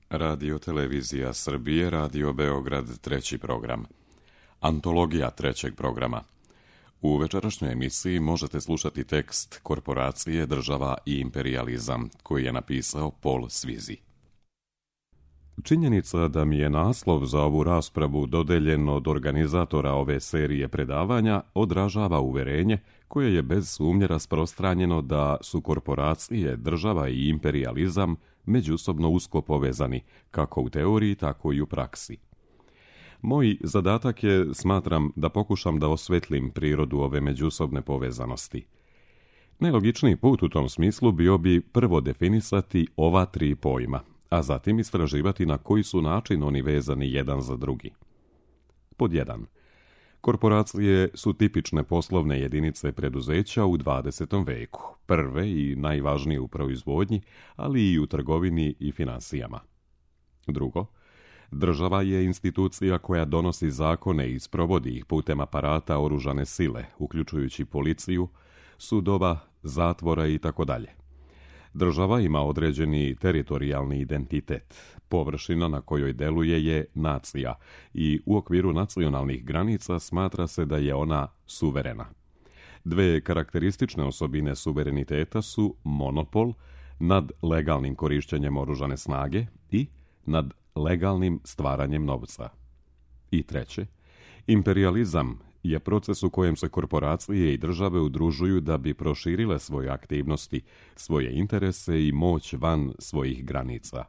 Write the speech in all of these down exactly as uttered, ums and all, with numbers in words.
Radio Televizija Srbije, Radio Beograd, treći program. Antologija trećeg programa. U večerašnjoj emisiji možete slušati tekst Korporacije, država i imperijalizam, koji je napisao Paul Svizi. Činjenica da mi je naslov za ovu raspravu dodeljen od organizatora ove serije predavanja odražava uverenje koje je bez sumnje rasprostranjeno da su korporacije, država i imperijalizam međusobno usko povezani, kako u teoriji, tako i u praksi. Moj zadatak je, smatram, da pokušam da osvetlim prirodu ove međusobne povezanosti. Najlogičniji put u tom smislu bio bi prvo definisati ova tri pojma, a zatim istraživati na koji su način oni vezani jedan za drugi. Pod jedan. Korporacije su tipične poslovne jedinice preduzeća u dvadesetom veku, prve i najvažnije u proizvodnji, ali i u trgovini i finansijama. Drugo, država je institucija koja donosi zakone i sprovodi ih putem aparata oružane sile, uključujući policiju, sudova, zatvora i tako dalje. Država ima određeni teritorijalni identitet. Površina na kojoj deluje je nacija i u okviru nacionalnih granica smatra se da je ona suverena. Dve karakteristične osobine suvereniteta su monopol nad legalnim korišćenjem oružane snage i nad legalnim stvaranjem novca. I treće, imperijalizam je proces u kojem se korporacije i države udružuju da bi proširile svoje aktivnosti, svoje interese i moć van svojih granica.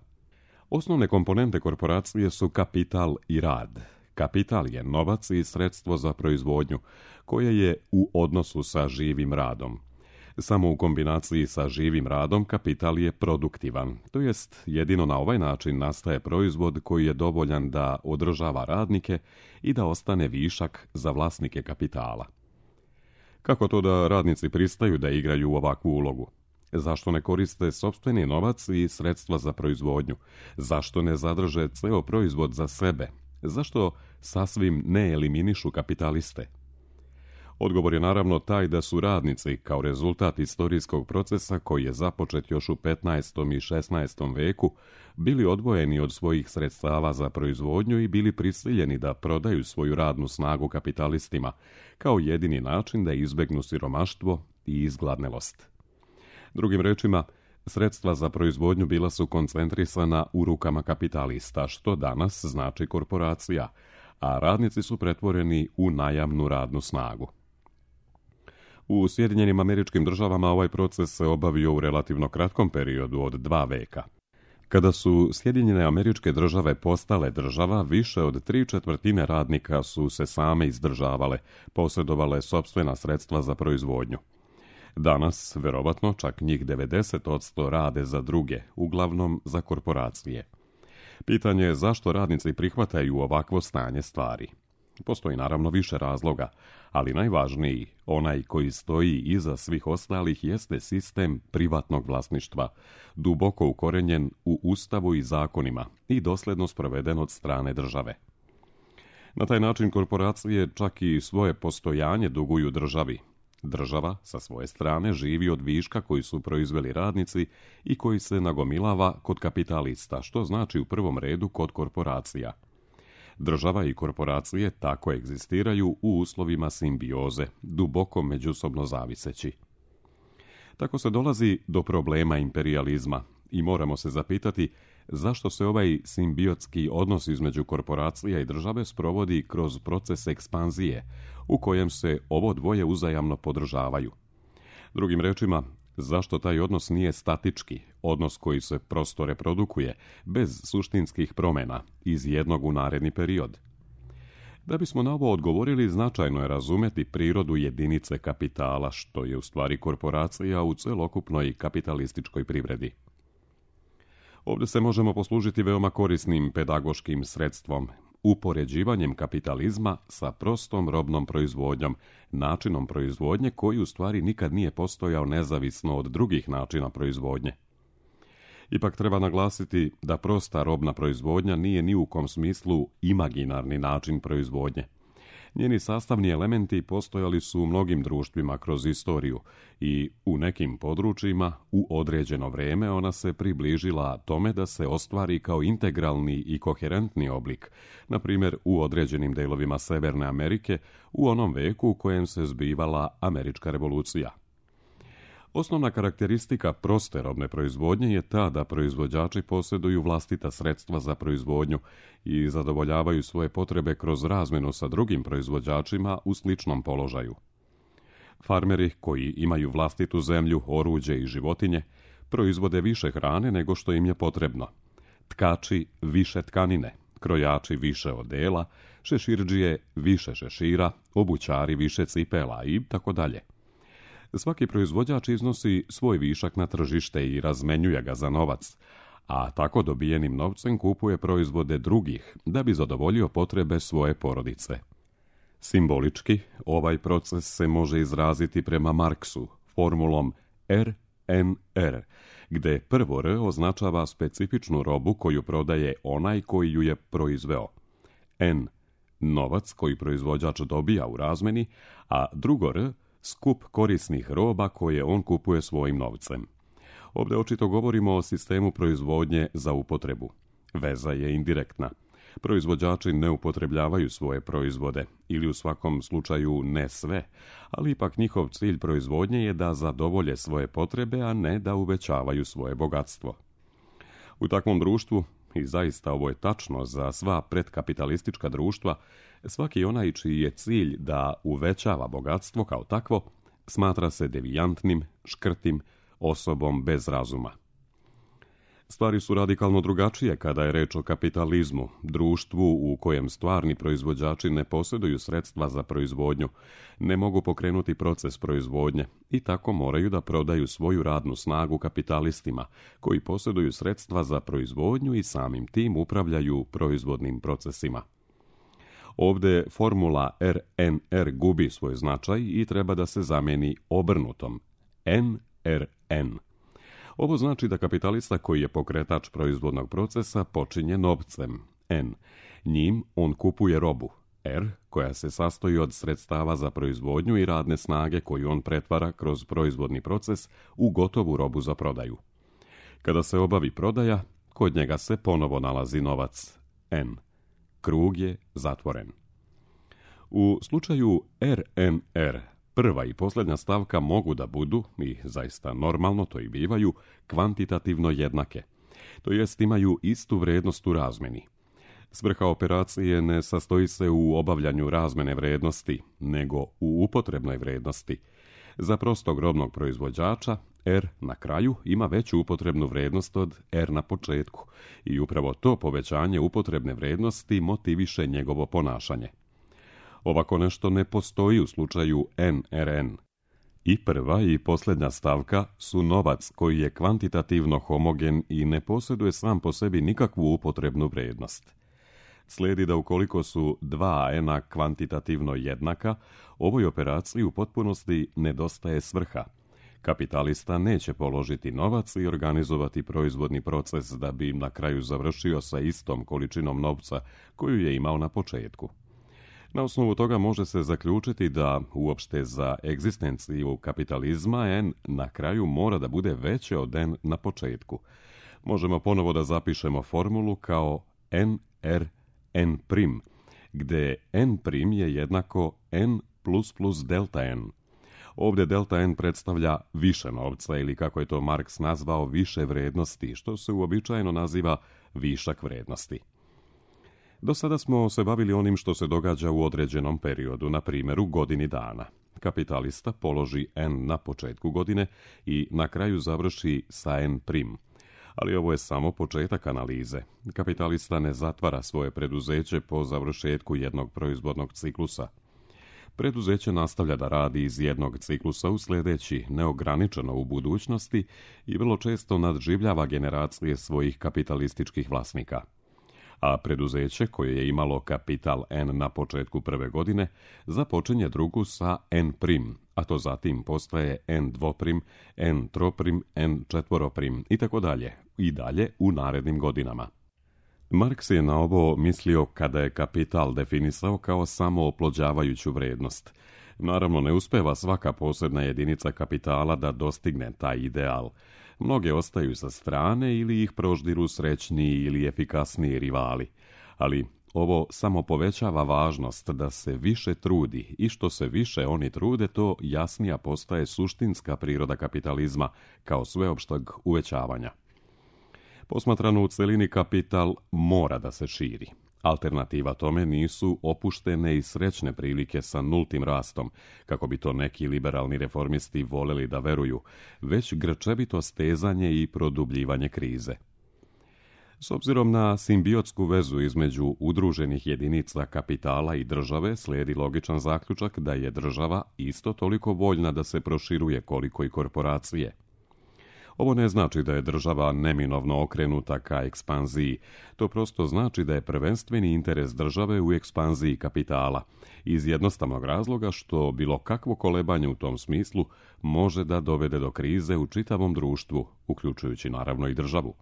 Osnovne komponente korporacije su kapital i rad. Kapital je novac i sredstvo za proizvodnju, koje je u odnosu sa živim radom. Samo u kombinaciji sa živim radom kapital je produktivan, to jest jedino na ovaj način nastaje proizvod koji je dovoljan da održava radnike i da ostane višak za vlasnike kapitala. Kako to da radnici pristaju da igraju ovakvu ulogu? Zašto ne koriste sopstveni novac i sredstva za proizvodnju? Zašto ne zadrže ceo proizvod za sebe? Zašto sasvim ne eliminišu kapitaliste? Odgovor je naravno taj da su radnici, kao rezultat istorijskog procesa koji je započet još u petnaestom i šesnaestom veku, bili odvojeni od svojih sredstava za proizvodnju i bili prisiljeni da prodaju svoju radnu snagu kapitalistima, kao jedini način da izbegnu siromaštvo i izgladnelost. Drugim rečima, sredstva za proizvodnju bila su koncentrisana u rukama kapitalista, što danas znači korporacija, a radnici su pretvoreni u najamnu radnu snagu. U Sjedinjenim Američkim Državama ovaj proces se obavio u relativno kratkom periodu od dva veka. Kada su Sjedinjene Američke Države postale država, više od tri četvrtine radnika su se same izdržavale, posjedovale sopstvena sredstva za proizvodnju. Danas, verovatno, čak njih devedeset posto rade za druge, uglavnom za korporacije. Pitanje je zašto radnici prihvataju ovakvo stanje stvari. Postoji naravno više razloga, ali najvažniji, onaj koji stoji iza svih ostalih, jeste sistem privatnog vlasništva, duboko ukorenjen u Ustavu i zakonima i dosledno sproveden od strane države. Na taj način korporacije čak i svoje postojanje duguju državi. Država, sa svoje strane, živi od viška koji su proizveli radnici i koji se nagomilava kod kapitalista, što znači u prvom redu kod korporacija. Država i korporacije tako egzistiraju u uslovima simbioze, duboko međusobno zaviseći. Tako se dolazi do problema imperijalizma i moramo se zapitati zašto se ovaj simbiotski odnos između korporacija i države sprovodi kroz proces ekspanzije, u kojem se ovo dvoje uzajamno podržavaju. Drugim rečima, zašto taj odnos nije statički, odnos koji se prosto reprodukuje, bez suštinskih promjena, iz jednog u naredni period? Da bismo na ovo odgovorili, značajno je razumeti prirodu jedinice kapitala, što je u stvari korporacija u celokupnoj kapitalističkoj privredi. Ovdje se možemo poslužiti veoma korisnim pedagoškim sredstvom, upoređivanjem kapitalizma sa prostom robnom proizvodnjom, načinom proizvodnje koji u stvari nikad nije postojao nezavisno od drugih načina proizvodnje. Ipak treba naglasiti da prosta robna proizvodnja nije ni u kom smislu imaginarni način proizvodnje. Njeni sastavni elementi postojali su u mnogim društvima kroz istoriju i u nekim područjima u određeno vrijeme ona se približila tome da se ostvari kao integralni i koherentni oblik, na primjer u određenim delovima Severne Amerike u onom veku u kojem se zbivala Američka revolucija. Osnovna karakteristika proste robne proizvodnje je ta da proizvođači posjeduju vlastita sredstva za proizvodnju i zadovoljavaju svoje potrebe kroz razmjenu sa drugim proizvođačima u sličnom položaju. Farmeri koji imaju vlastitu zemlju, oruđe i životinje proizvode više hrane nego što im je potrebno. Tkači više tkanine, krojači više odela, šeširđije više šešira, obućari više cipela i tako dalje. Svaki proizvođač iznosi svoj višak na tržište i razmenjuje ga za novac, a tako dobijenim novcem kupuje proizvode drugih da bi zadovoljio potrebe svoje porodice. Simbolički, ovaj proces se može izraziti prema Marksu formulom R N R, gdje prvo R označava specifičnu robu koju prodaje onaj koji ju je proizveo. N, novac koji proizvođač dobija u razmeni, a drugo R, skup korisnih roba koje on kupuje svojim novcem. Ovdje očito govorimo o sistemu proizvodnje za upotrebu. Veza je indirektna. Proizvođači ne upotrebljavaju svoje proizvode, ili u svakom slučaju ne sve, ali ipak njihov cilj proizvodnje je da zadovolje svoje potrebe, a ne da uvećavaju svoje bogatstvo. U takvom društvu, i zaista ovo je tačno za sva predkapitalistička društva, svaki onaj čiji je cilj da uvećava bogatstvo kao takvo, smatra se devijantnim, škrtim, osobom bez razuma. Stvari su radikalno drugačije kada je reč o kapitalizmu, društvu u kojem stvarni proizvođači ne posjeduju sredstva za proizvodnju, ne mogu pokrenuti proces proizvodnje i tako moraju da prodaju svoju radnu snagu kapitalistima, koji posjeduju sredstva za proizvodnju i samim tim upravljaju proizvodnim procesima. Ovdje formula R N R gubi svoj značaj i treba da se zamijeni obrnutom N R N. Ovo znači da kapitalista koji je pokretač proizvodnog procesa počinje novcem, N. Njim on kupuje robu, R, koja se sastoji od sredstava za proizvodnju i radne snage koju on pretvara kroz proizvodni proces u gotovu robu za prodaju. Kada se obavi prodaja, kod njega se ponovo nalazi novac, N. Krug je zatvoren. U slučaju R N R, prva i posljednja stavka mogu da budu, i zaista normalno to i bivaju, kvantitativno jednake, to jest imaju istu vrijednost u razmeni. Svrha operacije ne sastoji se u obavljanju razmene vrijednosti, nego u upotrebnoj vrijednosti. Za prostog robnog proizvođača, R na kraju ima veću upotrebnu vrijednost od R na početku i upravo to povećanje upotrebne vrijednosti motiviše njegovo ponašanje. Ovako nešto ne postoji u slučaju N R N. I prva i posljednja stavka su novac koji je kvantitativno homogen i ne posjeduje sam po sebi nikakvu upotrebnu vrijednost. Slijedi da ukoliko su dva N-a kvantitativno jednaka, ovoj operaciji u potpunosti nedostaje svrha. Kapitalista neće položiti novac i organizovati proizvodni proces da bi im na kraju završio sa istom količinom novca koju je imao na početku. Na osnovu toga može se zaključiti da uopšte za egzistenciju kapitalizma N na kraju mora da bude veće od N na početku. Možemo ponovo da zapišemo formulu kao N R N prim, gdje N prim je jednako N plus plus delta N. Ovdje delta N predstavlja više novca ili kako je to Marks nazvao više vrednosti, što se uobičajeno naziva višak vrednosti. Do sada smo se bavili onim što se događa u određenom periodu, na primjer u godini dana. Kapitalista položi N na početku godine i na kraju završi sa N prim. Ali ovo je samo početak analize. Kapitalista ne zatvara svoje preduzeće po završetku jednog proizvodnog ciklusa. Preduzeće nastavlja da radi iz jednog ciklusa u sljedeći, neograničeno u budućnosti i vrlo često nadživljava generacije svojih kapitalističkih vlasnika. A preduzeće koje je imalo kapital N na početku prve godine započinje drugu sa N prim, a to zatim postaje N dvoprim, N troprim, N četvoroprim i tako dalje, i dalje u narednim godinama. Marks je na ovo mislio kada je kapital definisao kao samo oplođavajuću vrijednost. Naravno, ne uspeva svaka posebna jedinica kapitala da dostigne taj ideal. Mnoge ostaju sa strane ili ih proždiru srećniji ili efikasniji rivali. Ali ovo samo povećava važnost da se više trudi i što se više oni trude, to jasnija postaje suštinska priroda kapitalizma kao sveopštog uvećavanja. Posmatrano u celini, kapital mora da se širi. Alternativa tome nisu opuštene i srećne prilike sa nultim rastom, kako bi to neki liberalni reformisti voleli da veruju, već grčevito stezanje i produbljivanje krize. S obzirom na simbiotsku vezu između udruženih jedinica kapitala i države, slijedi logičan zaključak da je država isto toliko voljna da se proširuje koliko i korporacije. Ovo ne znači da je država neminovno okrenuta ka ekspanziji, to prosto znači da je prvenstveni interes države u ekspanziji kapitala, iz jednostavnog razloga što bilo kakvo kolebanje u tom smislu može da dovede do krize u čitavom društvu, uključujući naravno i državu.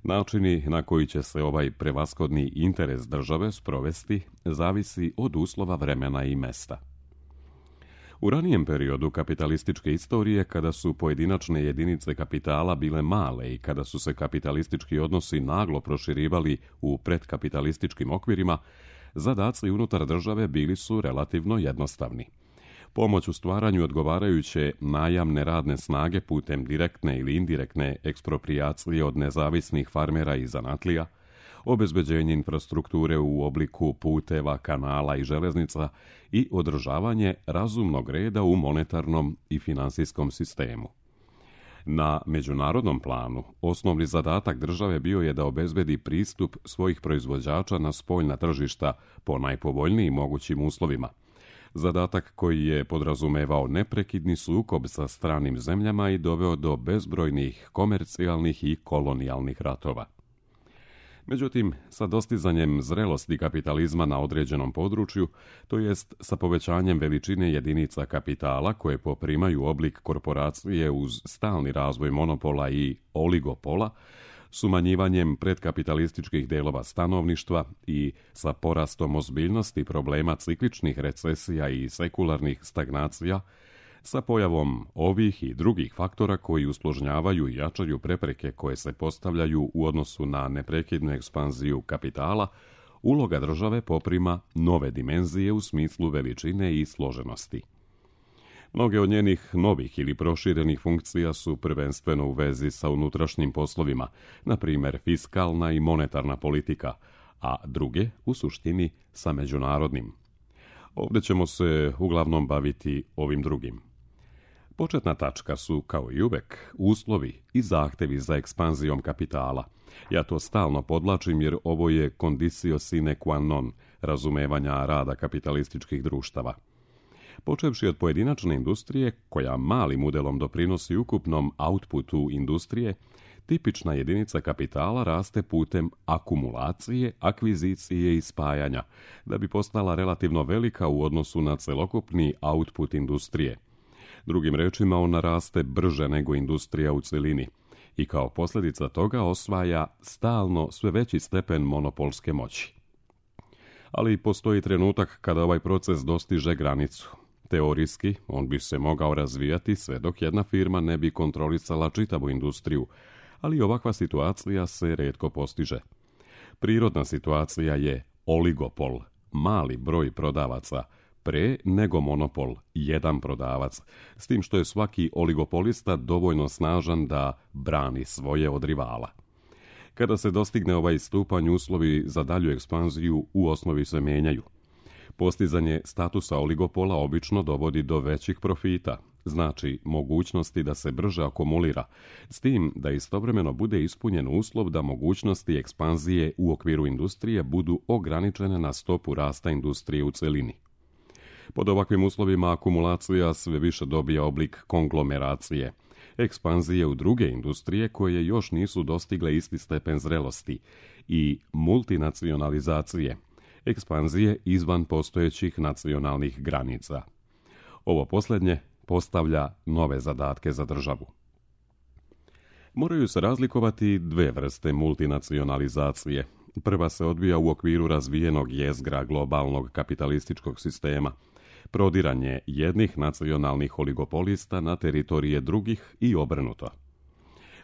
Načini na koji će se ovaj prevashodni interes države sprovesti zavisi od uslova vremena i mesta. U ranijem periodu kapitalističke istorije, kada su pojedinačne jedinice kapitala bile male i kada su se kapitalistički odnosi naglo proširivali u predkapitalističkim okvirima, zadaci unutar države bili su relativno jednostavni. Pomoć u stvaranju odgovarajuće najamne radne snage putem direktne ili indirektne eksproprijacije od nezavisnih farmera i zanatlija, obezbeđenje infrastrukture u obliku puteva, kanala i železnica i održavanje razumnog reda u monetarnom i finansijskom sistemu. Na međunarodnom planu osnovni zadatak države bio je da obezbedi pristup svojih proizvođača na spoljna tržišta po najpovoljnijim mogućim uslovima. Zadatak koji je podrazumevao neprekidni sukob sa stranim zemljama i doveo do bezbrojnih komercijalnih i kolonijalnih ratova. Međutim, sa dostizanjem zrelosti kapitalizma na određenom području, to jest sa povećanjem veličine jedinica kapitala koje poprimaju oblik korporacije uz stalni razvoj monopola i oligopola, s umanjivanjem predkapitalističkih delova stanovništva i sa porastom ozbiljnosti problema cikličnih recesija i sekularnih stagnacija, sa pojavom ovih i drugih faktora koji usložnjavaju i jačaju prepreke koje se postavljaju u odnosu na neprekidnu ekspanziju kapitala, uloga države poprima nove dimenzije u smislu veličine i složenosti. Mnoge od njenih novih ili proširenih funkcija su prvenstveno u vezi sa unutrašnjim poslovima, na primjer fiskalna i monetarna politika, a druge, u suštini, sa međunarodnim. Ovdje ćemo se uglavnom baviti ovim drugim. Početna tačka su, kao i uvek, uslovi i zahtevi za ekspanzijom kapitala. Ja to stalno podlačim jer ovo je conditio sine qua non razumevanja rada kapitalističkih društava. Počevši od pojedinačne industrije, koja malim udelom doprinosi ukupnom outputu industrije, tipična jedinica kapitala raste putem akumulacije, akvizicije i spajanja, da bi postala relativno velika u odnosu na celokupni output industrije. Drugim rečima, ona raste brže nego industrija u celini i kao posljedica toga osvaja stalno sve veći stepen monopolske moći. Ali postoji trenutak kada ovaj proces dostiže granicu. Teorijski, on bi se mogao razvijati sve dok jedna firma ne bi kontrolisala čitavu industriju, ali ovakva situacija se retko postiže. Prirodna situacija je oligopol, mali broj prodavaca, pre nego monopol, jedan prodavac, s tim što je svaki oligopolista dovoljno snažan da brani svoje od rivala. Kada se dostigne ovaj stupanj, uslovi za dalju ekspanziju u osnovi se menjaju. Postizanje statusa oligopola obično dovodi do većih profita, znači mogućnosti da se brže akumulira, s tim da istovremeno bude ispunjen uslov da mogućnosti ekspanzije u okviru industrije budu ograničene na stopu rasta industrije u celini. Pod ovakvim uslovima akumulacija sve više dobija oblik konglomeracije, ekspanzije u druge industrije koje još nisu dostigle isti stepen zrelosti i multinacionalizacije, ekspanzije izvan postojećih nacionalnih granica. Ovo posljednje postavlja nove zadatke za državu. Moraju se razlikovati dve vrste multinacionalizacije. Prva se odvija u okviru razvijenog jezgra globalnog kapitalističkog sistema, prodiranje jednih nacionalnih oligopolista na teritorije drugih i obrnuto.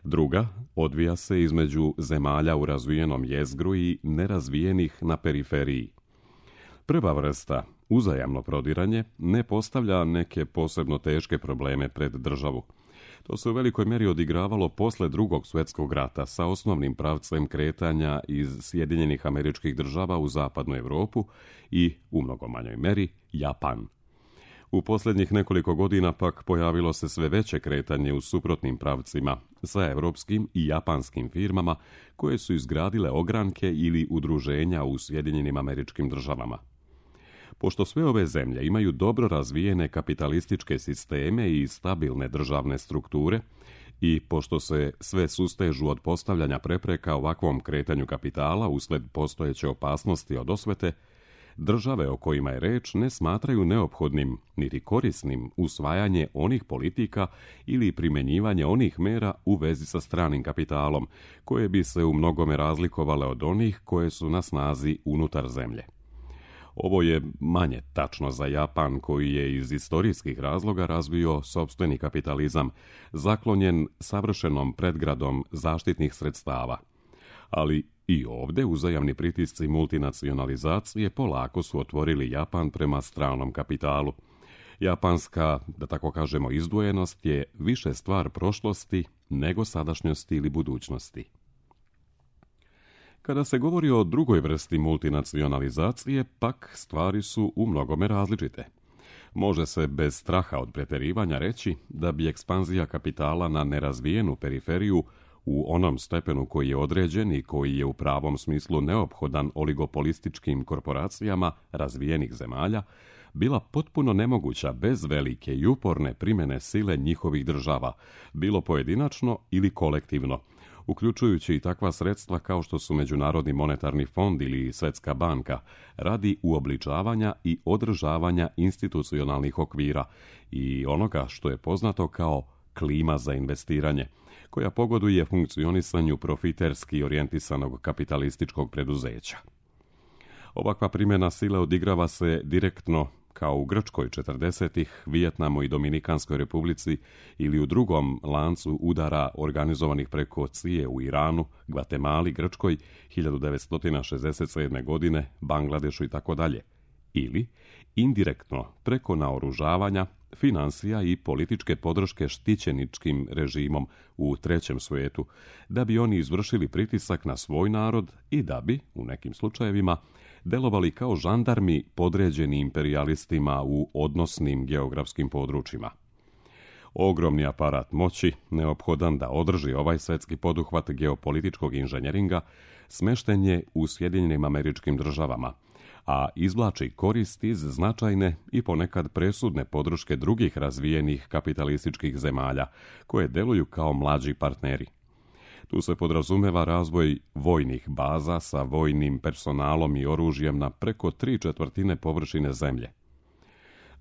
Druga odvija se između zemalja u razvijenom jezgru i nerazvijenih na periferiji. Prva vrsta, uzajamno prodiranje, ne postavlja neke posebno teške probleme pred državu. To se u velikoj mjeri odigravalo posle Drugog svjetskog rata sa osnovnim pravcem kretanja iz Sjedinjenih Američkih Država u zapadnu Europu i, u mnogo manjoj mjeri, Japan. U posljednjih nekoliko godina pak pojavilo se sve veće kretanje u suprotnim pravcima sa europskim i japanskim firmama koje su izgradile ogranke ili udruženja u Sjedinjenim Američkim Državama. Pošto sve ove zemlje imaju dobro razvijene kapitalističke sisteme i stabilne državne strukture i pošto se sve sustežu od postavljanja prepreka ovakvom kretanju kapitala usled postojeće opasnosti od osvete, države o kojima je reč ne smatraju neophodnim niti korisnim usvajanje onih politika ili primjenjivanje onih mera u vezi sa stranim kapitalom, koje bi se u mnogome razlikovale od onih koje su na snazi unutar zemlje. Ovo je manje tačno za Japan, koji je iz istorijskih razloga razvio sopstveni kapitalizam, zaklonjen savršenom predgradom zaštitnih sredstava. Ali i ovdje uzajamni pritisci multinacionalizacije polako su otvorili Japan prema stranom kapitalu. Japanska, da tako kažemo, izdvojenost je više stvar prošlosti nego sadašnjosti ili budućnosti. Kada se govori o drugoj vrsti multinacionalizacije, pak stvari su u mnogome različite. Može se bez straha od pretjerivanja reći da bi ekspanzija kapitala na nerazvijenu periferiju u onom stepenu koji je određen i koji je u pravom smislu neophodan oligopolističkim korporacijama razvijenih zemalja, bila potpuno nemoguća bez velike i uporne primjene sile njihovih država, bilo pojedinačno ili kolektivno, uključujući i takva sredstva kao što su Međunarodni monetarni fond ili Svjetska banka, radi uobličavanja i održavanja institucionalnih okvira i onoga što je poznato kao klima za investiranje, koja pogoduje funkcionisanju profiterski orijentisanog kapitalističkog preduzeća. Ovakva primjena sile odigrava se direktno kao u Grčkoj četrdesetih, Vijetnamu i Dominikanskoj republici ili u drugom lancu udara organizovanih preko C I E u Iranu, Gvatemali, Grčkoj hiljadu devetsto šezdeset sedme. godine, Bangladešu i tako dalje. Ili indirektno preko naoružavanja, financija i političke podrške štićeničkim režimom u trećem svijetu, da bi oni izvršili pritisak na svoj narod i da bi, u nekim slučajevima, delovali kao žandarmi podređeni imperijalistima u odnosnim geografskim područjima. Ogromni aparat moći, neophodan da održi ovaj svjetski poduhvat geopolitičkog inženjeringa, smešten je u Sjedinjenim Američkim Državama, a izvlači korist iz značajne i ponekad presudne podrške drugih razvijenih kapitalističkih zemalja, koje deluju kao mlađi partneri. Tu se podrazumeva razvoj vojnih baza sa vojnim personalom i oružjem na preko tri četvrtine površine zemlje.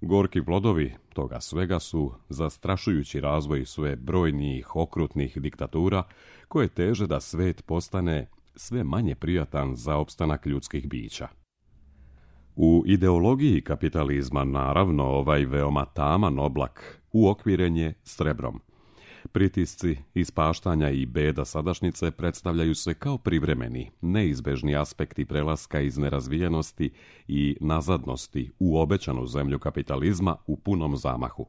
Gorki plodovi toga svega su zastrašujući razvoj sve brojnijih okrutnih diktatura koje teže da svet postane sve manje prijatan za opstanak ljudskih bića. U ideologiji kapitalizma, naravno, ovaj veoma taman oblak uokviren je srebrom. Pritisci, ispaštanja i beda sadašnjice predstavljaju se kao privremeni, neizbežni aspekti prelaska iz nerazvijenosti i nazadnosti u obećanu zemlju kapitalizma u punom zamahu.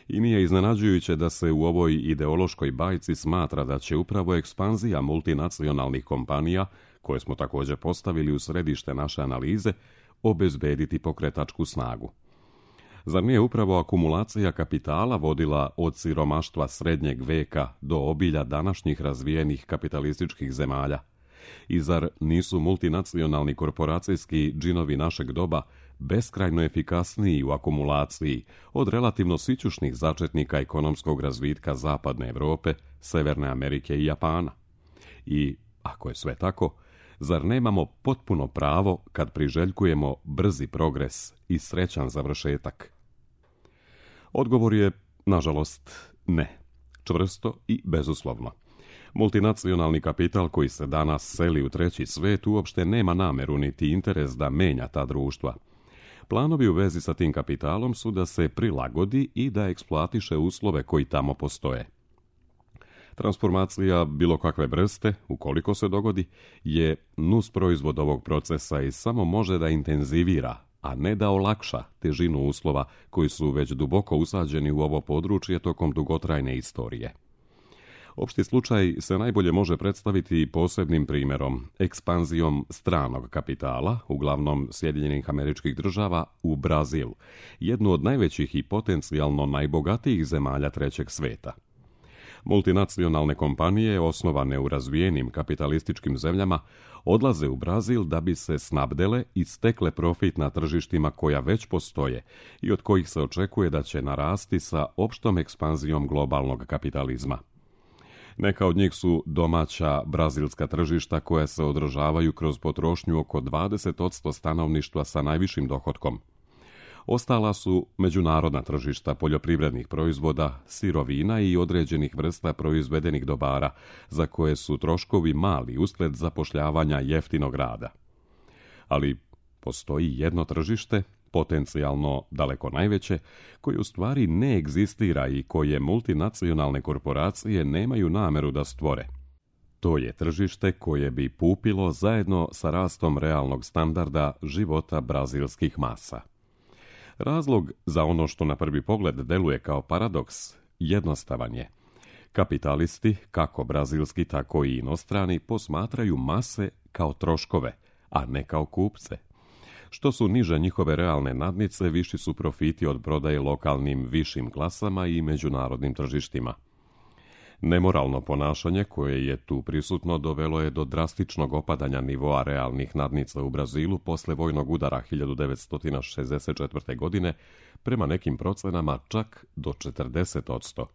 I nije iznenađujuće da se u ovoj ideološkoj bajci smatra da će upravo ekspanzija multinacionalnih kompanija, koje smo također postavili u središte naše analize, obezbediti pokretačku snagu. Zar nije upravo akumulacija kapitala vodila od siromaštva srednjeg veka do obilja današnjih razvijenih kapitalističkih zemalja? I zar nisu multinacionalni korporacijski džinovi našeg doba beskrajno efikasniji u akumulaciji od relativno sićušnih začetnika ekonomskog razvitka Zapadne Europe, Severne Amerike i Japana? I, ako je sve tako, zar nemamo potpuno pravo kad priželjkujemo brzi progres i srećan završetak? Odgovor je, nažalost, ne. Čvrsto i bezuslovno. Multinacionalni kapital koji se danas seli u treći svet uopšte nema nameru niti interes da menja ta društva. Planovi u vezi sa tim kapitalom su da se prilagodi i da eksploatiše uslove koji tamo postoje. Transformacija bilo kakve vrste, ukoliko se dogodi, je nus proizvod ovog procesa i samo može da intenzivira, a ne da olakša težinu uslova koji su već duboko usađeni u ovo područje tokom dugotrajne istorije. Opšti slučaj se najbolje može predstaviti posebnim primjerom, ekspanzijom stranog kapitala, uglavnom Sjedinjenih Američkih Država, u Brazil, jednu od najvećih i potencijalno najbogatijih zemalja trećeg sveta. Multinacionalne kompanije, osnovane u razvijenim kapitalističkim zemljama, odlaze u Brazil da bi se snabdele i stekle profit na tržištima koja već postoje i od kojih se očekuje da će narasti sa opštom ekspanzijom globalnog kapitalizma. Neka od njih su domaća brazilska tržišta koja se održavaju kroz potrošnju oko dvadeset posto stanovništva sa najvišim dohotkom. Ostala su međunarodna tržišta poljoprivrednih proizvoda, sirovina i određenih vrsta proizvedenih dobara, za koje su troškovi mali usled zapošljavanja jeftinog rada. Ali postoji jedno tržište, potencijalno daleko najveće, koje u stvari ne egzistira i koje multinacionalne korporacije nemaju nameru da stvore. To je tržište koje bi pupilo zajedno sa rastom realnog standarda života brazilskih masa. Razlog za ono što na prvi pogled deluje kao paradoks jednostavan je. Kapitalisti, kako brazilski, tako i inostrani, posmatraju mase kao troškove, a ne kao kupce. Što su niže njihove realne nadnice, viši su profiti od prodaje lokalnim višim klasama i međunarodnim tržištima. Nemoralno ponašanje koje je tu prisutno dovelo je do drastičnog opadanja nivoa realnih nadnica u Brazilu posle vojnog udara hiljadu devetsto šezdeset četvrte. godine, prema nekim procenama čak do četrdeset posto.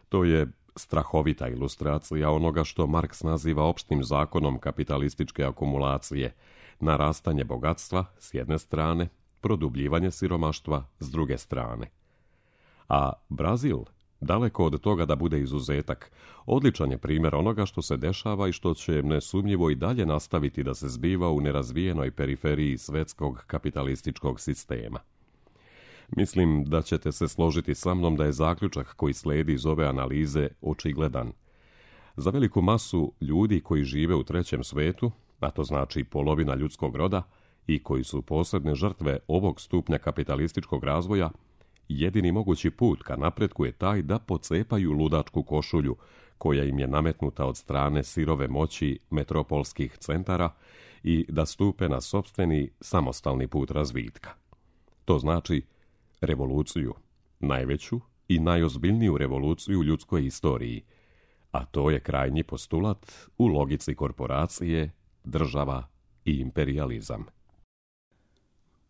To je strahovita ilustracija onoga što Marks naziva opštim zakonom kapitalističke akumulacije, narastanje bogatstva s jedne strane, produbljivanje siromaštva s druge strane. A Brazil, daleko od toga da bude izuzetak, odličan je primjer onoga što se dešava i što će nesumnjivo i dalje nastaviti da se zbiva u nerazvijenoj periferiji svetskog kapitalističkog sistema. Mislim da ćete se složiti sa mnom da je zaključak koji sledi iz ove analize očigledan. Za veliku masu ljudi koji žive u trećem svetu, a to znači polovina ljudskog roda, i koji su posebne žrtve ovog stupnja kapitalističkog razvoja, jedini mogući put ka napretku je taj da pocepaju ludačku košulju koja im je nametnuta od strane sirove moći metropolskih centara i da stupe na sopstveni samostalni put razvitka. To znači revoluciju, najveću i najozbiljniju revoluciju u ljudskoj istoriji, a to je krajnji postulat u logici korporacije, država i imperijalizam.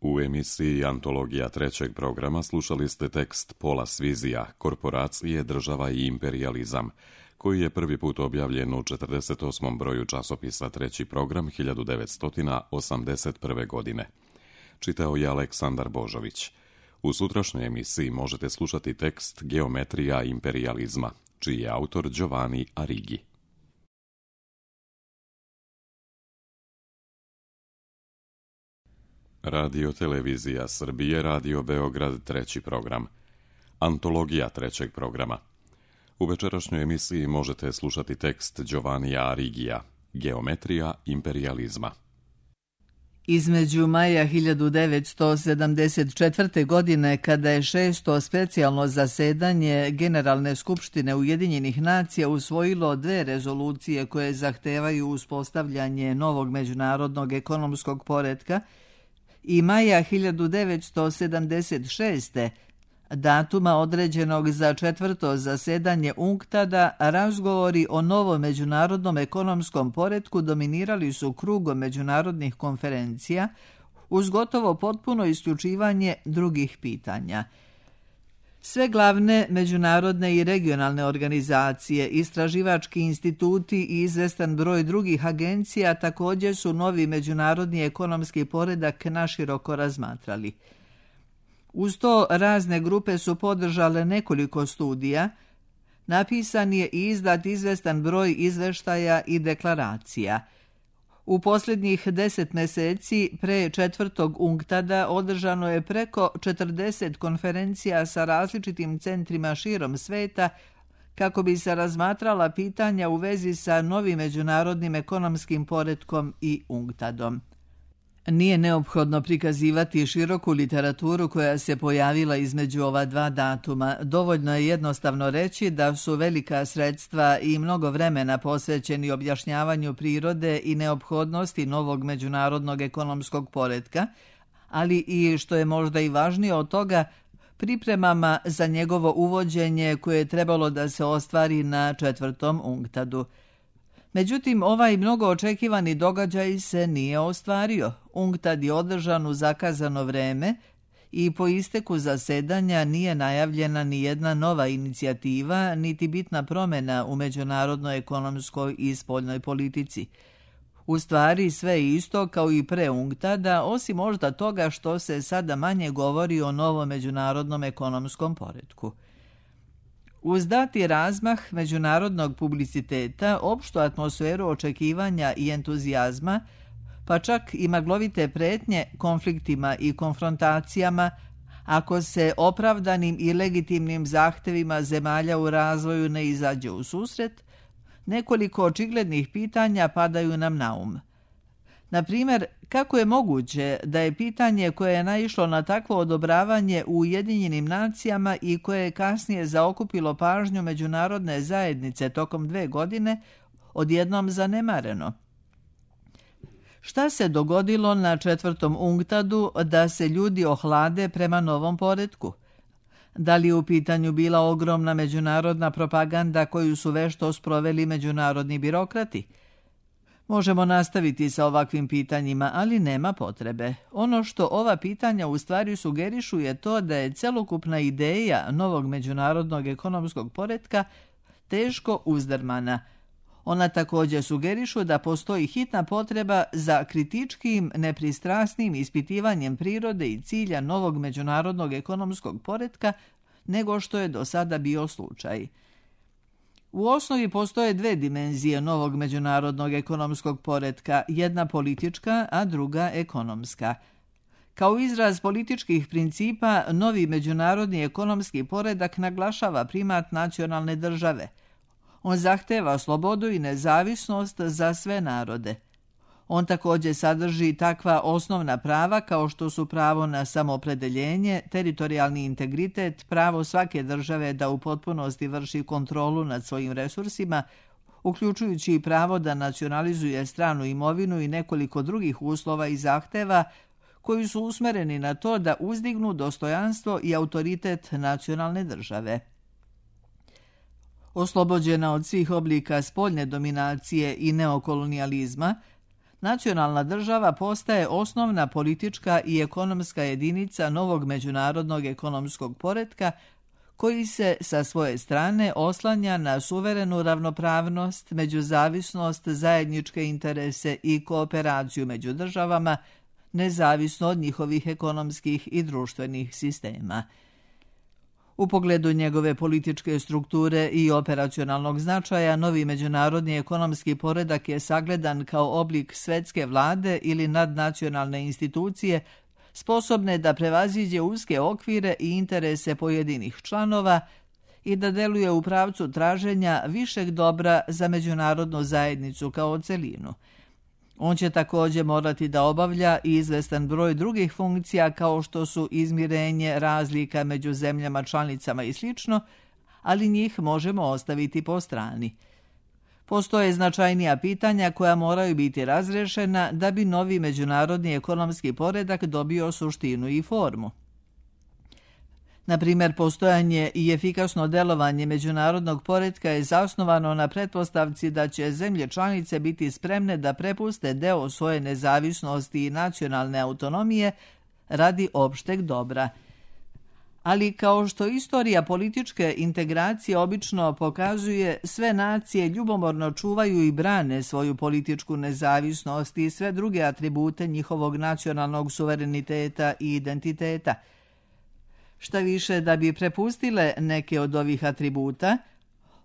U emisiji Antologija trećeg programa slušali ste tekst Paula Svizija, Korporacije, država i imperijalizam, koji je prvi put objavljen u četrdeset osmom broju časopisa Treći program hiljadu devetsto osamdeset prve. godine. Čitao je Aleksandar Božović. U sutrašnjoj emisiji možete slušati tekst Geometrija imperijalizma, čiji je autor Giovanni Arrighi. Radio Televizija Srbije, Radio Beograd, treći program. Antologija trećeg programa. U večerašnjoj emisiji možete slušati tekst Giovannija Arrighija, Geometrija imperijalizma. Između maja hiljadu devetsto sedamdeset četvrte. godine, kada je šesto specijalno zasedanje Generalne skupštine Ujedinjenih nacija usvojilo dve rezolucije koje zahtevaju uspostavljanje novog međunarodnog ekonomskog poretka, i maja hiljadu devetsto sedamdeset šeste. datuma određenog za četvrto zasedanje UNCTAD-a, razgovori o novom međunarodnom ekonomskom poretku dominirali su krugom međunarodnih konferencija uz gotovo potpuno isključivanje drugih pitanja. Sve glavne međunarodne i regionalne organizacije, istraživački instituti i izvestan broj drugih agencija također su novi međunarodni ekonomski poredak naširoko razmatrali. Uz to razne grupe su podržale nekoliko studija, napisan je i izdat izvestan broj izveštaja i deklaracija. U posljednjih deset mjeseci pre četvrtog UNCTAD-a održano je preko četrdeset konferencija sa različitim centrima širom sveta kako bi se razmatrala pitanja u vezi sa novim međunarodnim ekonomskim poretkom i UNCTAD-om. Nije neophodno prikazivati široku literaturu koja se pojavila između ova dva datuma. Dovoljno je jednostavno reći da su velika sredstva i mnogo vremena posvećeni objašnjavanju prirode i neophodnosti novog međunarodnog ekonomskog poretka, ali i, što je možda i važnije od toga, pripremama za njegovo uvođenje koje je trebalo da se ostvari na četvrtom UNCTAD-u. Međutim, ovaj mnogo očekivani događaj se nije ostvario. UNCTAD je održan u zakazano vreme i po isteku zasedanja nije najavljena ni jedna nova inicijativa, niti bitna promjena u međunarodnoj ekonomskoj i spoljnoj politici. U stvari sve je isto kao i pre UNCTAD-a, osim možda toga što se sada manje govori o novom međunarodnom ekonomskom poretku. Uz dati razmah međunarodnog publiciteta, opštu atmosferu očekivanja i entuzijazma, pa čak i maglovite pretnje konfliktima i konfrontacijama, ako se opravdanim i legitimnim zahtevima zemalja u razvoju ne izađe u susret, nekoliko očiglednih pitanja padaju nam na um. Na primjer, kako je moguće da je pitanje koje je naišlo na takvo odobravanje u Ujedinjenim nacijama i koje je kasnije zaokupilo pažnju međunarodne zajednice tokom dve godine, odjednom zanemareno? Šta se dogodilo na četvrtom UNCTAD-u da se ljudi ohlade prema novom poretku? Da li je u pitanju bila ogromna međunarodna propaganda koju su vešto sproveli međunarodni birokrati? Možemo nastaviti sa ovakvim pitanjima, ali nema potrebe. Ono što ova pitanja u stvari sugerišu je to da je celokupna ideja novog međunarodnog ekonomskog poretka teško uzdrmana. Ona također sugerišu da postoji hitna potreba za kritičkim, nepristrasnim ispitivanjem prirode i cilja novog međunarodnog ekonomskog poretka nego što je do sada bio slučaj. U osnovi postoje dve dimenzije novog međunarodnog ekonomskog poretka, jedna politička, a druga ekonomska. Kao izraz političkih principa, novi međunarodni ekonomski poredak naglašava primat nacionalne države. On zahteva slobodu i nezavisnost za sve narode. On također sadrži takva osnovna prava kao što su pravo na samoopredeljenje, teritorijalni integritet, pravo svake države da u potpunosti vrši kontrolu nad svojim resursima, uključujući i pravo da nacionalizuje stranu imovinu i nekoliko drugih uslova i zahteva koji su usmereni na to da uzdignu dostojanstvo i autoritet nacionalne države. Oslobođena od svih oblika spoljne dominacije i neokolonijalizma, nacionalna država postaje osnovna politička i ekonomska jedinica novog međunarodnog ekonomskog poretka koji se sa svoje strane oslanja na suverenu ravnopravnost, međuzavisnost, zajedničke interese i kooperaciju među državama, nezavisno od njihovih ekonomskih i društvenih sistema. U pogledu njegove političke strukture i operacionalnog značaja, novi međunarodni ekonomski poredak je sagledan kao oblik svetske vlade ili nadnacionalne institucije sposobne da prevaziđe uske okvire i interese pojedinih članova i da deluje u pravcu traženja višeg dobra za međunarodnu zajednicu kao celinu. On će također morati da obavlja i izvestan broj drugih funkcija kao što su izmirenje razlika među zemljama članicama i sl., ali njih možemo ostaviti po strani. Postoje značajnija pitanja koja moraju biti razrešena da bi novi međunarodni ekonomski poredak dobio suštinu i formu. Na primjer, postojanje i efikasno delovanje međunarodnog poretka je zasnovano na pretpostavci da će zemlje članice biti spremne da prepuste deo svoje nezavisnosti i nacionalne autonomije radi opšteg dobra. Ali kao što istorija političke integracije obično pokazuje, sve nacije ljubomorno čuvaju i brane svoju političku nezavisnost i sve druge atribute njihovog nacionalnog suvereniteta i identiteta. Šta više, da bi prepustile neke od ovih atributa,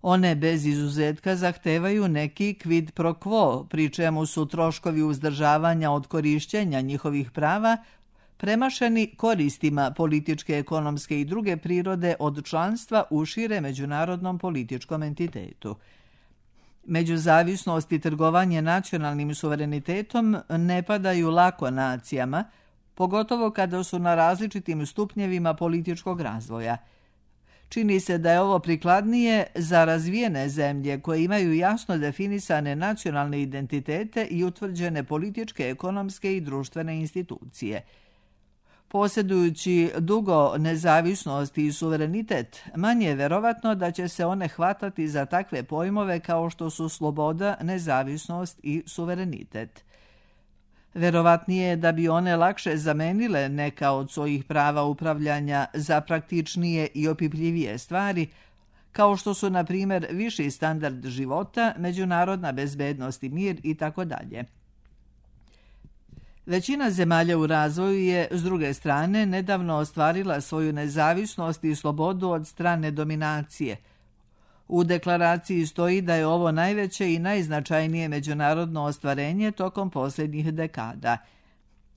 One bez izuzetka zahtevaju neki quid pro quo, pri čemu su troškovi uzdržavanja od korišćenja njihovih prava premašeni koristima političke, ekonomske i druge prirode od članstva u šire međunarodnom političkom entitetu. Međuzavisnost i trgovanje nacionalnim suverenitetom ne padaju lako nacijama, pogotovo kada su na različitim stupnjevima političkog razvoja. Čini se da je ovo prikladnije za razvijene zemlje koje imaju jasno definisane nacionalne identitete i utvrđene političke, ekonomske i društvene institucije. Posjedujući dugo nezavisnost i suverenitet, manje je verovatno da će se one hvatati za takve pojmove kao što su sloboda, nezavisnost i suverenitet. Verovatnije je da bi one lakše zamenile neka od svojih prava upravljanja za praktičnije i opipljivije stvari, kao što su, na primjer, viši standard života, međunarodna bezbednost i mir i tako dalje. Većina zemalja u razvoju je, s druge strane, nedavno ostvarila svoju nezavisnost i slobodu od strane dominacije. U deklaraciji stoji da je ovo najveće i najznačajnije međunarodno ostvarenje tokom posljednjih dekada.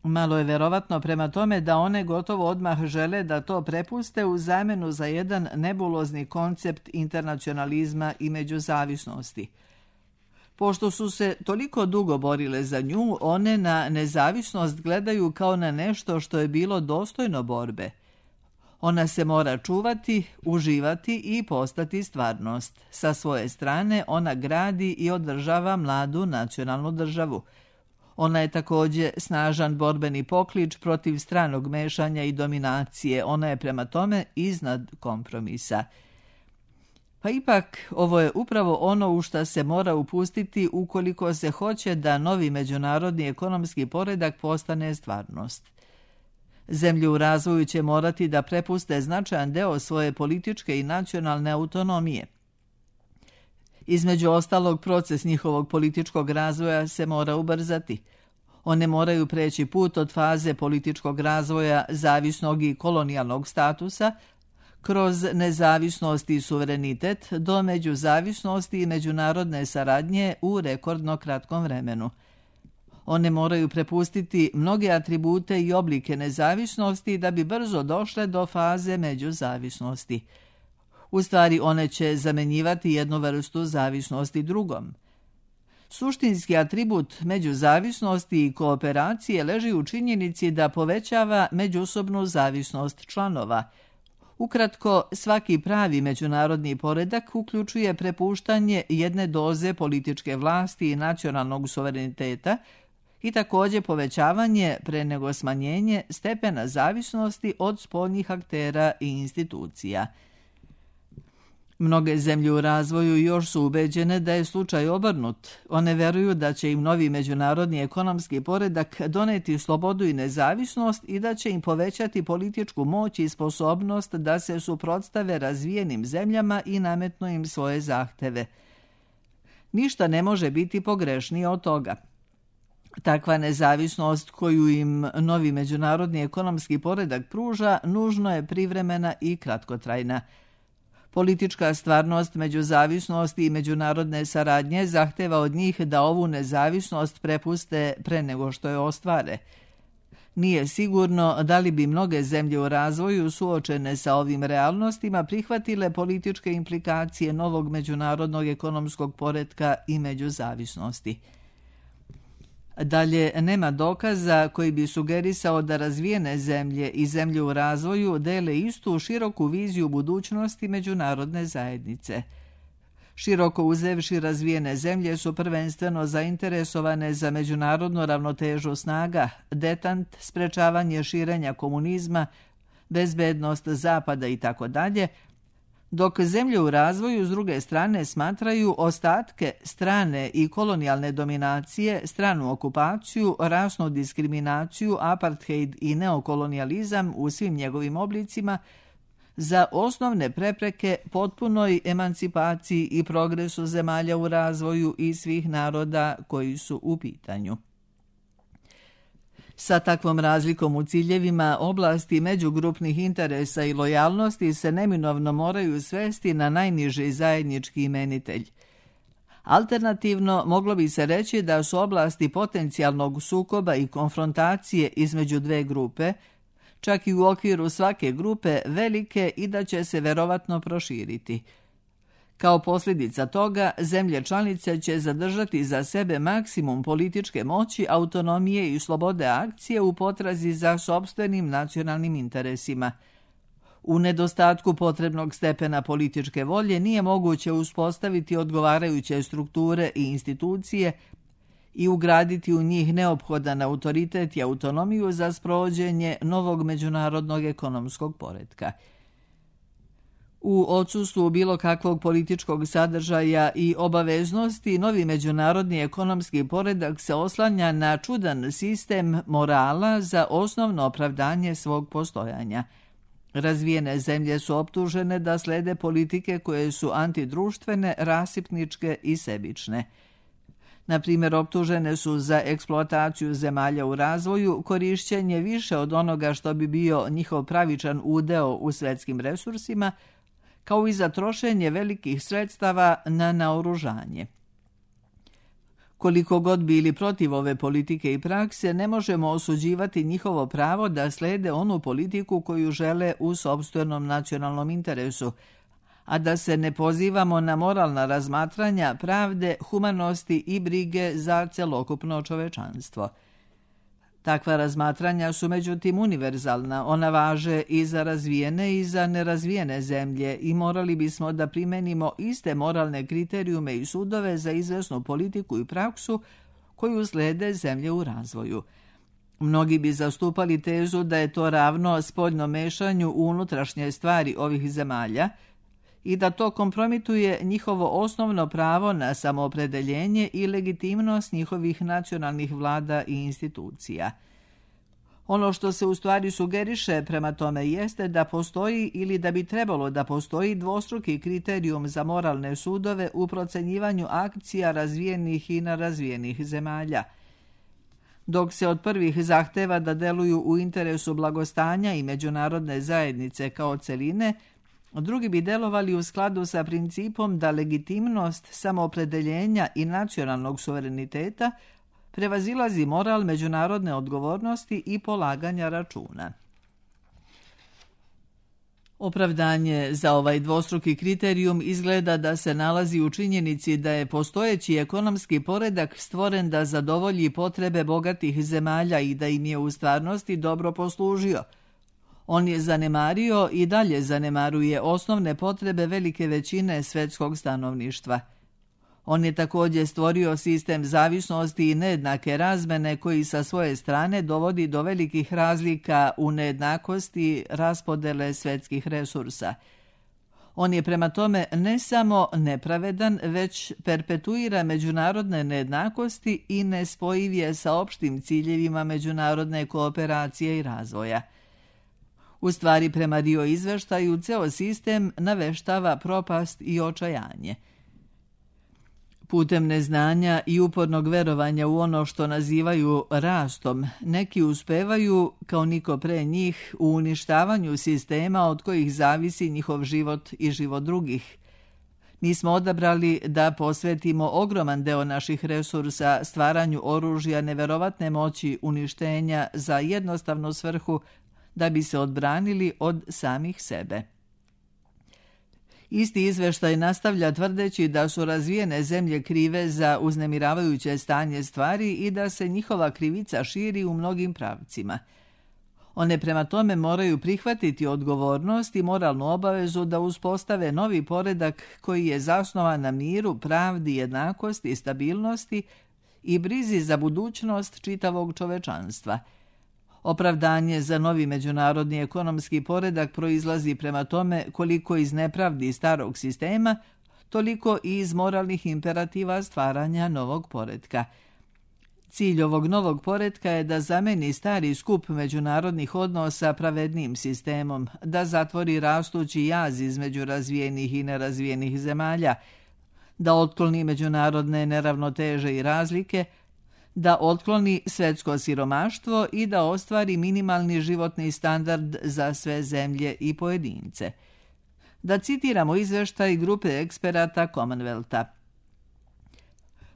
Malo je verovatno prema tome da one gotovo odmah žele da to prepuste u zamenu za jedan nebulozni koncept internacionalizma i međuzavisnosti. Pošto su se toliko dugo borile za nju, one na nezavisnost gledaju kao na nešto što je bilo dostojno borbe. Ona se mora čuvati, uživati i postati stvarnost. Sa svoje strane ona gradi i održava mladu nacionalnu državu. Ona je također snažan borbeni poklič protiv stranog mešanja i dominacije. Ona je prema tome iznad kompromisa. Pa ipak, ovo je upravo ono u šta se mora upustiti ukoliko se hoće da novi međunarodni ekonomski poredak postane stvarnost. Zemlje u razvoju će morati da prepuste značajan deo svoje političke i nacionalne autonomije. Između ostalog, proces njihovog političkog razvoja se mora ubrzati. One moraju preći put od faze političkog razvoja zavisnog i kolonijalnog statusa kroz nezavisnost i suverenitet do međuzavisnosti i međunarodne saradnje u rekordno kratkom vremenu. One moraju prepustiti mnoge atribute i oblike nezavisnosti da bi brzo došle do faze međuzavisnosti. U stvari, one će zamenjivati jednu vrstu zavisnosti drugom. Suštinski atribut međuzavisnosti i kooperacije leži u činjenici da povećava međusobnu zavisnost članova. Ukratko, svaki pravi međunarodni poredak uključuje prepuštanje jedne doze političke vlasti i nacionalnog suvereniteta i također povećavanje, pre nego smanjenje, stepena zavisnosti od spoljnih aktera i institucija. Mnoge zemlje u razvoju još su ubeđene da je slučaj obrnut. One veruju da će im novi međunarodni ekonomski poredak doneti slobodu i nezavisnost i da će im povećati političku moć i sposobnost da se suprotstave razvijenim zemljama i nametnu im svoje zahteve. Ništa ne može biti pogrešnije od toga. Takva nezavisnost koju im novi međunarodni ekonomski poredak pruža nužno je privremena i kratkotrajna. Politička stvarnost, međuzavisnost i međunarodne saradnje zahteva od njih da ovu nezavisnost prepuste pre nego što je ostvare. Nije sigurno da li bi mnoge zemlje u razvoju suočene sa ovim realnostima prihvatile političke implikacije novog međunarodnog ekonomskog poretka i međuzavisnosti. Dalje, nema dokaza koji bi sugerisao da razvijene zemlje i zemlje u razvoju dele istu široku viziju budućnosti međunarodne zajednice. Široko uzevši, razvijene zemlje su prvenstveno zainteresovane za međunarodnu ravnotežu snaga, detant, sprečavanje širenja komunizma, bezbednost Zapada i tako dalje, dok zemlje u razvoju s druge strane smatraju ostatke strane i kolonijalne dominacije, stranu okupaciju, rasnu diskriminaciju, apartheid i neokolonijalizam u svim njegovim oblicima za osnovne prepreke potpunoj emancipaciji i progresu zemalja u razvoju i svih naroda koji su u pitanju. Sa takvom razlikom u ciljevima, oblasti međugrupnih interesa i lojalnosti se neminovno moraju svesti na najniži zajednički imenitelj. Alternativno, moglo bi se reći da su oblasti potencijalnog sukoba i konfrontacije između dve grupe, čak i u okviru svake grupe, velike i da će se verovatno proširiti. Kao posljedica toga, zemlje članice će zadržati za sebe maksimum političke moći, autonomije i slobode akcije u potrazi za sopstvenim nacionalnim interesima. U nedostatku potrebnog stepena političke volje nije moguće uspostaviti odgovarajuće strukture i institucije i ugraditi u njih neophodan autoritet i autonomiju za sprovođenje novog međunarodnog ekonomskog poretka. U odsustvu bilo kakvog političkog sadržaja i obaveznosti, novi međunarodni ekonomski poredak se oslanja na čudan sistem morala za osnovno opravdanje svog postojanja. Razvijene zemlje su optužene da slede politike koje su antidruštvene, rasipničke i sebične. Na primjer, optužene su za eksploataciju zemalja u razvoju, korišćenje više od onoga što bi bio njihov pravičan udeo u svetskim resursima, kao i za trošenje velikih sredstava na naoružanje. Koliko god bili protiv ove politike i prakse, ne možemo osuđivati njihovo pravo da slede onu politiku koju žele u sopstvenom nacionalnom interesu, a da se ne pozivamo na moralna razmatranja pravde, humanosti i brige za celokupno čovečanstvo. Takva razmatranja su međutim univerzalna, ona važe i za razvijene i za nerazvijene zemlje i morali bismo da primenimo iste moralne kriterijume i sudove za izvesnu politiku i praksu koju slede zemlje u razvoju. Mnogi bi zastupali tezu da je to ravno spoljnom mešanju u unutrašnje stvari ovih zemalja i da to kompromituje njihovo osnovno pravo na samoopredeljenje i legitimnost njihovih nacionalnih vlada i institucija. Ono što se u stvari sugeriše prema tome jeste da postoji ili da bi trebalo da postoji dvostruki kriterijum za moralne sudove u procenjivanju akcija razvijenih i nerazvijenih zemalja. Dok se od prvih zahteva da deluju u interesu blagostanja i međunarodne zajednice kao celine, drugi bi delovali u skladu sa principom da legitimnost samoopredeljenja i nacionalnog suvereniteta prevazilazi moral međunarodne odgovornosti i polaganja računa. Opravdanje za ovaj dvostruki kriterijum izgleda da se nalazi u činjenici da je postojeći ekonomski poredak stvoren da zadovolji potrebe bogatih zemalja i da im je u stvarnosti dobro poslužio. On je zanemario i dalje zanemaruje osnovne potrebe velike većine svetskog stanovništva. On je također stvorio sistem zavisnosti i nejednake razmene koji sa svoje strane dovodi do velikih razlika u nejednakosti raspodele svetskih resursa. On je prema tome ne samo nepravedan, već perpetuira međunarodne nejednakosti i nespojiv je sa opštim ciljevima međunarodne kooperacije i razvoja. U stvari, prema Rio izveštaju, ceo sistem naveštava propast i očajanje. Putem neznanja i upornog verovanja u ono što nazivaju rastom, neki uspevaju, kao niko pre njih, u uništavanju sistema od kojih zavisi njihov život i život drugih. Mi smo odabrali da posvetimo ogroman deo naših resursa stvaranju oružja neverovatne moći uništenja za jednostavnu svrhu da bi se odbranili od samih sebe. Isti izveštaj nastavlja tvrdeći da su razvijene zemlje krive za uznemiravajuće stanje stvari i da se njihova krivica širi u mnogim pravcima. One prema tome moraju prihvatiti odgovornost i moralnu obavezu da uspostave novi poredak koji je zasnovan na miru, pravdi, jednakosti, stabilnosti i brizi za budućnost čitavog čovečanstva. Opravdanje za novi međunarodni ekonomski poredak proizlazi prema tome koliko iz nepravdi starog sistema, toliko i iz moralnih imperativa stvaranja novog poretka. Cilj ovog novog poretka je da zameni stari skup međunarodnih odnosa pravednim sistemom, da zatvori rastući jaz između razvijenih i nerazvijenih zemalja, da otkloni međunarodne neravnoteže i razlike, da otkloni svetsko siromaštvo i da ostvari minimalni životni standard za sve zemlje i pojedince. Da citiramo izveštaj grupe eksperata Commonwealtha.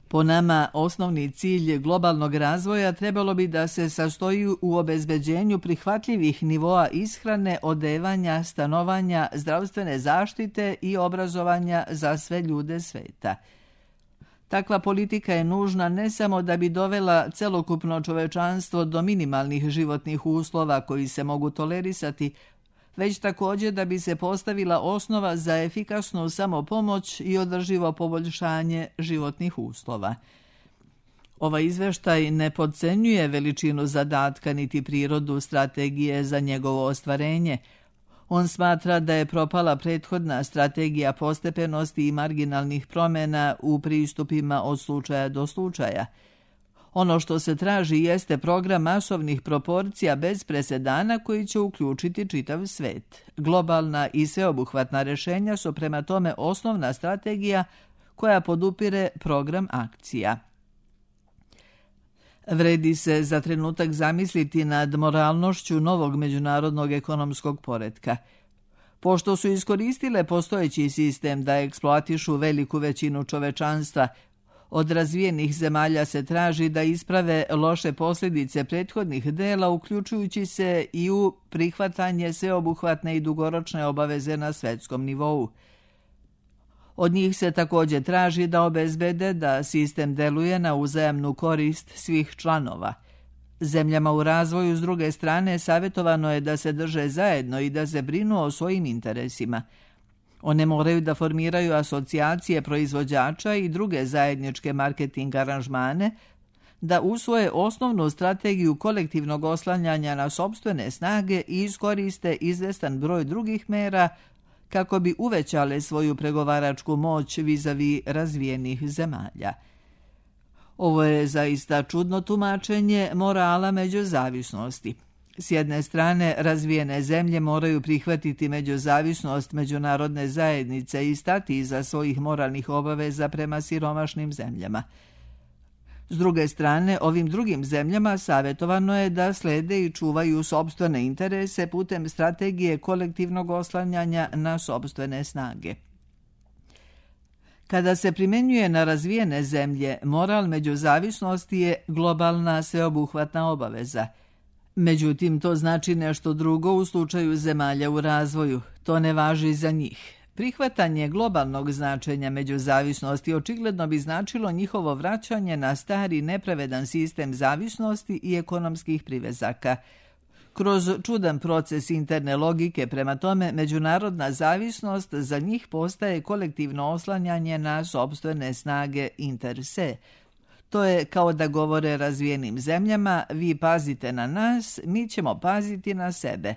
Po nama, osnovni cilj globalnog razvoja trebalo bi da se sastoji u obezbeđenju prihvatljivih nivoa ishrane, odevanja, stanovanja, zdravstvene zaštite i obrazovanja za sve ljude sveta. Takva politika je nužna ne samo da bi dovela celokupno čovečanstvo do minimalnih životnih uslova koji se mogu tolerisati, već također da bi se postavila osnova za efikasnu samopomoć i održivo poboljšanje životnih uslova. Ovaj izveštaj ne podcenjuje veličinu zadatka niti prirodu strategije za njegovo ostvarenje. On smatra da je propala prethodna strategija postepenosti i marginalnih promjena u pristupima od slučaja do slučaja. Ono što se traži jeste program masovnih proporcija bez presedana koji će uključiti čitav svet. Globalna i sveobuhvatna rješenja su prema tome osnovna strategija koja podupire program akcija. Vredi se za trenutak zamisliti nad moralnošću novog međunarodnog ekonomskog poretka. Pošto su iskoristile postojeći sistem da eksploatišu veliku većinu čovečanstva, od razvijenih zemalja se traži da isprave loše posljedice prethodnih dela, uključujući se i u prihvatanje sveobuhvatne i dugoročne obaveze na svetskom nivou. Od njih se također traži da obezbede da sistem deluje na uzajamnu korist svih članova. Zemljama u razvoju, s druge strane, savjetovano je da se drže zajedno i da se brinu o svojim interesima. One moraju da formiraju asocijacije proizvođača i druge zajedničke marketing aranžmane, da usvoje osnovnu strategiju kolektivnog oslanjanja na sopstvene snage i iskoriste izvestan broj drugih mera kako bi uvećale svoju pregovaračku moć vis-a-vis razvijenih zemalja. Ovo je zaista čudno tumačenje morala međuzavisnosti. S jedne strane, razvijene zemlje moraju prihvatiti međuzavisnost međunarodne zajednice i stati iza svojih moralnih obaveza prema siromašnim zemljama. S druge strane, ovim drugim zemljama savjetovano je da slede i čuvaju sopstvene interese putem strategije kolektivnog oslanjanja na sopstvene snage. Kada se primjenjuje na razvijene zemlje, moral međuzavisnosti je globalna sveobuhvatna obaveza. Međutim, to znači nešto drugo u slučaju zemalja u razvoju. To ne važi za njih. Prihvatanje globalnog značenja međuzavisnosti očigledno bi značilo njihovo vraćanje na stari nepravedan sistem zavisnosti i ekonomskih privezaka. Kroz čudan proces interne logike, prema tome, međunarodna zavisnost za njih postaje kolektivno oslanjanje na sopstvene snage inter se. To je kao da govore razvijenim zemljama: vi pazite na nas, mi ćemo paziti na sebe.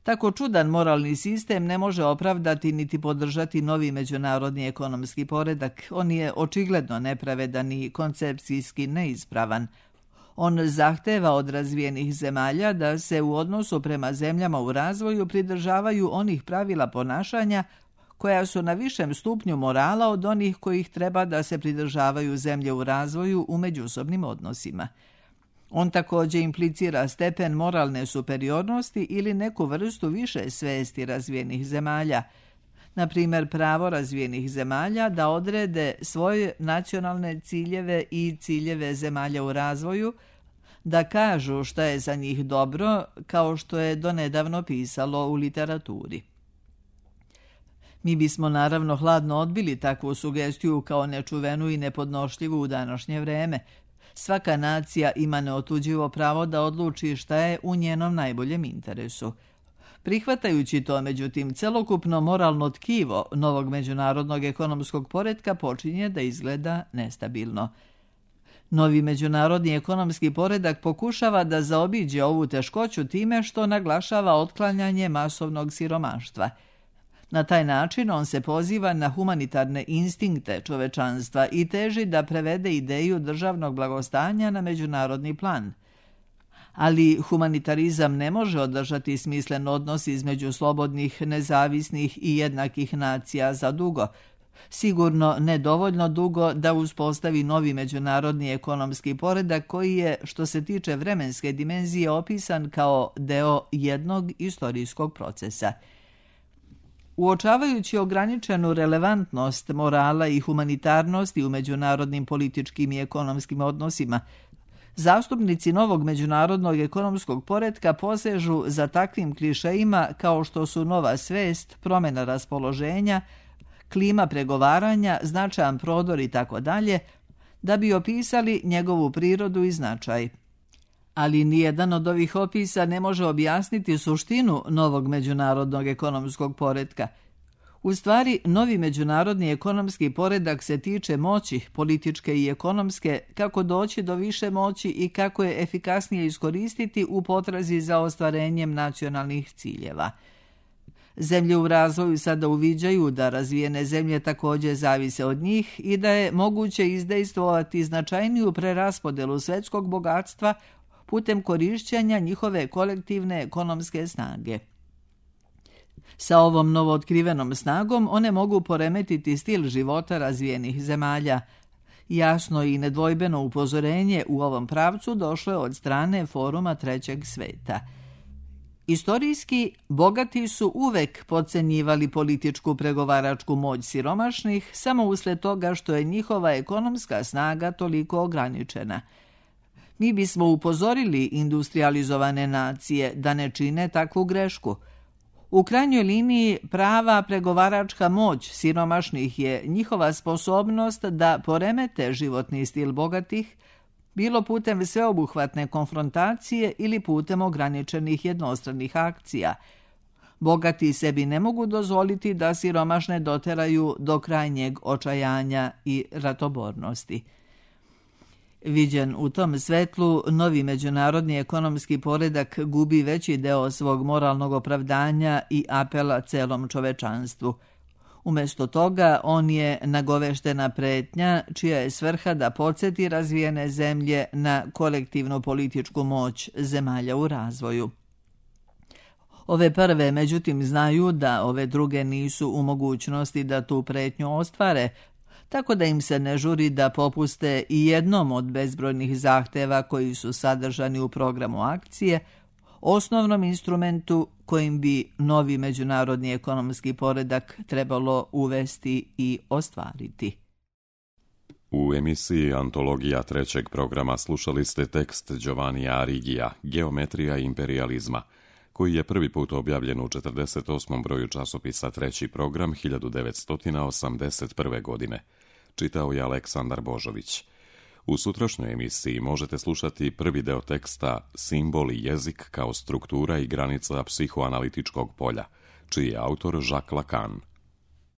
Tako čudan moralni sistem ne može opravdati niti podržati novi međunarodni ekonomski poredak. On je očigledno nepravedan i koncepcijski neispravan. On zahteva od razvijenih zemalja da se u odnosu prema zemljama u razvoju pridržavaju onih pravila ponašanja koja su na višem stupnju morala od onih kojih treba da se pridržavaju zemlje u razvoju u međusobnim odnosima. On također implicira stepen moralne superiornosti ili neku vrstu više svesti razvijenih zemalja, na primjer pravo razvijenih zemalja da odrede svoje nacionalne ciljeve i ciljeve zemalja u razvoju, da kažu šta je za njih dobro, kao što je donedavno pisalo u literaturi. Mi bismo naravno hladno odbili takvu sugestiju kao nečuvenu i nepodnošljivu u današnje vreme. Svaka nacija ima neotuđivo pravo da odluči šta je u njenom najboljem interesu. Prihvatajući to, međutim, celokupno moralno tkivo novog međunarodnog ekonomskog poretka počinje da izgleda nestabilno. Novi međunarodni ekonomski poredak pokušava da zaobiđe ovu teškoću time što naglašava otklanjanje masovnog siromaštva. Na taj način on se poziva na humanitarne instinkte čovečanstva i teži da prevede ideju državnog blagostanja na međunarodni plan. Ali humanitarizam ne može održati smislen odnos između slobodnih, nezavisnih i jednakih nacija za dugo. Sigurno ne dovoljno dugo da uspostavi novi međunarodni ekonomski poredak koji je, što se tiče vremenske dimenzije, opisan kao deo jednog istorijskog procesa. Uočavajući ograničenu relevantnost morala i humanitarnosti u međunarodnim političkim i ekonomskim odnosima, zastupnici novog međunarodnog ekonomskog poretka posežu za takvim klišejima kao što su nova svest, promjena raspoloženja, klima pregovaranja, značajan prodor i tako dalje, da bi opisali njegovu prirodu i značaj. Ali nijedan od ovih opisa ne može objasniti suštinu novog međunarodnog ekonomskog poretka. U stvari, novi međunarodni ekonomski poredak se tiče moći, političke i ekonomske, kako doći do više moći i kako je efikasnije iskoristiti u potrazi za ostvarenjem nacionalnih ciljeva. Zemlje u razvoju sada uviđaju da razvijene zemlje također zavise od njih i da je moguće izdejstvovati značajniju preraspodelu svjetskog bogatstva putem korišćenja njihove kolektivne ekonomske snage. Sa ovom novootkrivenom snagom one mogu poremetiti stil života razvijenih zemalja. Jasno i nedvojbeno upozorenje u ovom pravcu došlo je od strane Foruma Trećeg sveta. Istorijski, bogati su uvek podcenjivali političku pregovaračku moć siromašnih samo usled toga što je njihova ekonomska snaga toliko ograničena. Mi bismo upozorili industrializovane nacije da ne čine takvu grešku. U krajnjoj liniji prava pregovaračka moć siromašnih je njihova sposobnost da poremete životni stil bogatih, bilo putem sveobuhvatne konfrontacije ili putem ograničenih jednostranih akcija. Bogati sebi ne mogu dozvoliti da siromašne doteraju do krajnjeg očajanja i ratobornosti. Viđen u tom svetlu, novi međunarodni ekonomski poredak gubi veći deo svog moralnog opravdanja i apela celom čovečanstvu. Umjesto toga, on je nagoveštena pretnja čija je svrha da podsjeti razvijene zemlje na kolektivnu političku moć zemalja u razvoju. Ove prve, međutim, znaju da ove druge nisu u mogućnosti da tu pretnju ostvare, tako da im se ne žuri da popuste i jednom od bezbrojnih zahteva koji su sadržani u programu akcije, osnovnom instrumentu kojim bi novi međunarodni ekonomski poredak trebalo uvesti i ostvariti. U emisiji Antologija trećeg programa slušali ste tekst Giovannija Arrighija, Geometrija imperijalizma, koji je prvi put objavljen u četrdeset osmom broju časopisa Treći program hiljadu devetsto osamdeset prve. godine. Čitao je Aleksandar Božović. U sutrašnjoj emisiji možete slušati prvi deo teksta Simbol i jezik kao struktura i granica psihoanalitičkog polja, čiji je autor Jacques Lacan.